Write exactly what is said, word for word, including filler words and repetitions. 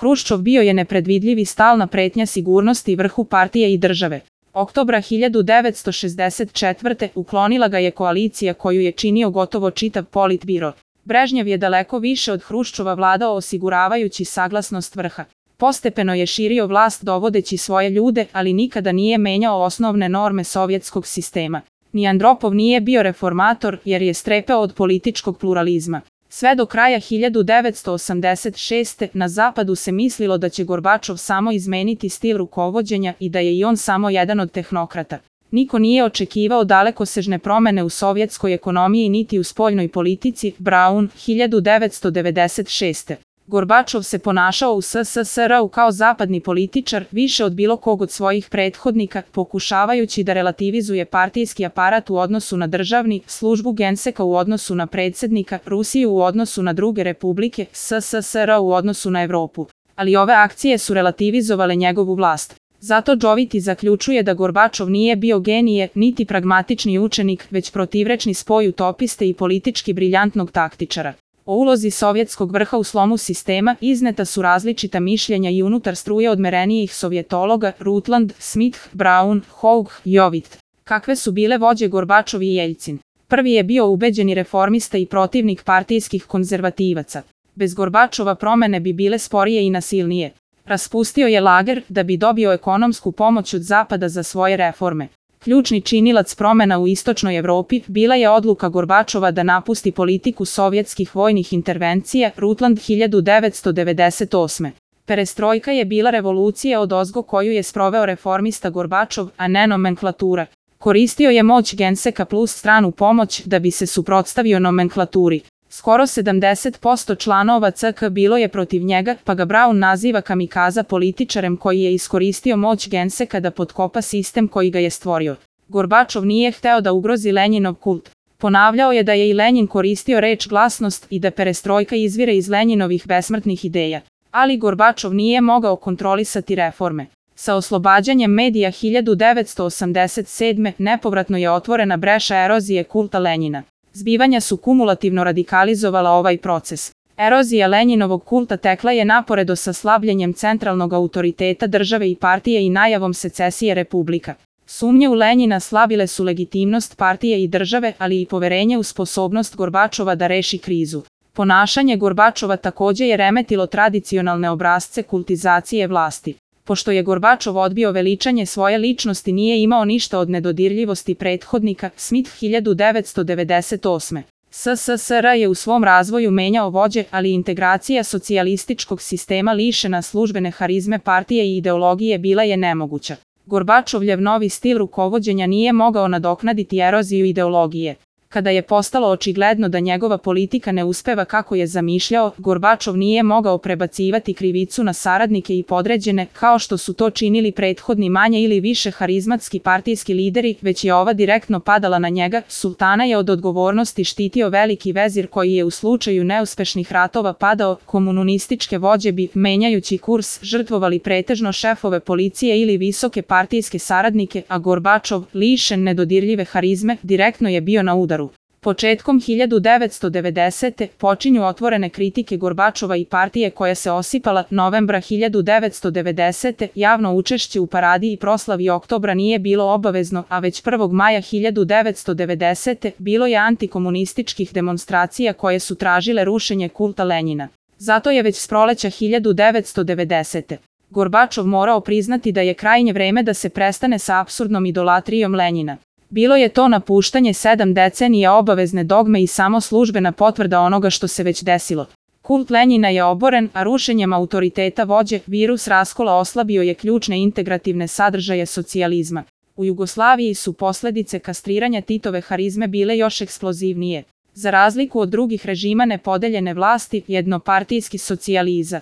Hruščov bio je nepredvidljiv i stalna pretnja sigurnosti vrhu partije i države. Oktobra hiljadu devetsto šezdeset četvrte. uklonila ga je koalicija koju je činio gotovo čitav Politbiro. Brežnjev je daleko više od Hruščova vladao osiguravajući saglasnost vrha. Postepeno je širio vlast dovodeći svoje ljude, ali nikada nije menjao osnovne norme sovjetskog sistema. Ni Andropov nije bio reformator jer je strepeo od političkog pluralizma. Sve do kraja hiljadu devetsto osamdeset šeste. na zapadu se mislilo da će Gorbačov samo izmeniti stil rukovođenja i da je i on samo jedan od tehnokrata. Niko nije očekivao dalekosežne promene u sovjetskoj ekonomiji niti u spoljnoj politici. Braun, hiljadu devetsto devedeset šeste. Gorbačov se ponašao u S S S R-u kao zapadni političar više od bilo kog od svojih prethodnika, pokušavajući da relativizuje partijski aparat u odnosu na državni, službu Genseka u odnosu na predsjednika, Rusiju u odnosu na druge republike, S S S R u odnosu na Evropu. Ali ove akcije su relativizovale njegovu vlast. Zato Joviti zaključuje da Gorbačov nije bio genije, niti pragmatični učenik, već protivrečni spoj utopiste i politički briljantnog taktičara. O ulozi sovjetskog vrha u slomu sistema izneta su različita mišljenja i unutar struje odmerenijih sovjetologa Rutland, Smith, Braun, Houg, Jovit. Kakve su bile vođe Gorbačov i Jeljcin? Prvi je bio ubeđeni reformista i protivnik partijskih konzervativaca. Bez Gorbačova promene bi bile sporije i nasilnije. Raspustio je lager da bi dobio ekonomsku pomoć od Zapada za svoje reforme. Ključni činilac promena u istočnoj Evropi bila je odluka Gorbačova da napusti politiku sovjetskih vojnih intervencija. Rutland, hiljadu devetsto devedeset osme. Perestrojka je bila revolucija odozgo koju je sproveo reformista Gorbačov, a ne nomenklatura. Koristio je moć Genseka plus stranu pomoć da bi se suprotstavio nomenklaturi. Skoro sedamdeset posto članova C K bilo je protiv njega, pa ga Braun naziva kamikaza političarem koji je iskoristio moć Genseka da potkopa sistem koji ga je stvorio. Gorbačov nije hteo da ugrozi Lenjinov kult. Ponavljao je da je i Lenjin koristio reč glasnost i da perestrojka izvire iz Lenjinovih besmrtnih ideja. Ali Gorbačov nije mogao kontrolisati reforme. Sa oslobađanjem medija hiljadu devetsto osamdeset sedme. nepovratno je otvorena breša erozije kulta Lenjina. Zbivanja su kumulativno radikalizovala ovaj proces. Erozija Lenjinovog kulta tekla je naporedo sa slabljenjem centralnog autoriteta države i partije i najavom secesije republika. Sumnje u Lenjina slabile su legitimnost partije i države, ali i poverenje u sposobnost Gorbačova da reši krizu. Ponašanje Gorbačova takođe je remetilo tradicionalne obrasce kultizacije vlasti. Pošto je Gorbačov odbio veličanje svoje ličnosti, nije imao ništa od nedodirljivosti prethodnika. Smith, hiljadu devetsto devedeset osme. S S S R je u svom razvoju menjao vođe, ali integracija socijalističkog sistema lišena službene harizme partije i ideologije bila je nemoguća. Gorbačovljev novi stil rukovođenja nije mogao nadoknaditi eroziju ideologije. Kada je postalo očigledno da njegova politika ne uspeva kako je zamišljao, Gorbačov nije mogao prebacivati krivicu na saradnike i podređene, kao što su to činili prethodni manje ili više harizmatski partijski lideri, već je ova direktno padala na njega. Sultana je od odgovornosti štitio veliki vezir koji je u slučaju neuspešnih ratova padao. Komunističke vođe bi, menjajući kurs, žrtvovali pretežno šefove policije ili visoke partijske saradnike, a Gorbačov, lišen nedodirljive harizme, direktno je bio na udaru. Početkom hiljadu devetsto devedesete. počinju otvorene kritike Gorbačova i partije koja se osipala. Novembra hiljadu devetsto devedesete. javno učešće u paradi i proslavi oktobra nije bilo obavezno, a već prvog maja hiljadu devetsto devedesete. bilo je antikomunističkih demonstracija koje su tražile rušenje kulta Lenjina. Zato je već s proleća hiljadu devetsto devedesete. Gorbačov morao priznati da je krajnje vreme da se prestane sa apsurdnom idolatrijom Lenjina. Bilo je to napuštanje sedam decenija obavezne dogme i samo službena potvrda onoga što se već desilo. Kult Lenjina je oboren, a rušenjem autoriteta vođe, virus raskola oslabio je ključne integrativne sadržaje socijalizma. U Jugoslaviji su posledice kastriranja Titove harizme bile još eksplozivnije. Za razliku od drugih režima nepodeljene vlasti, jednopartijski socijalizam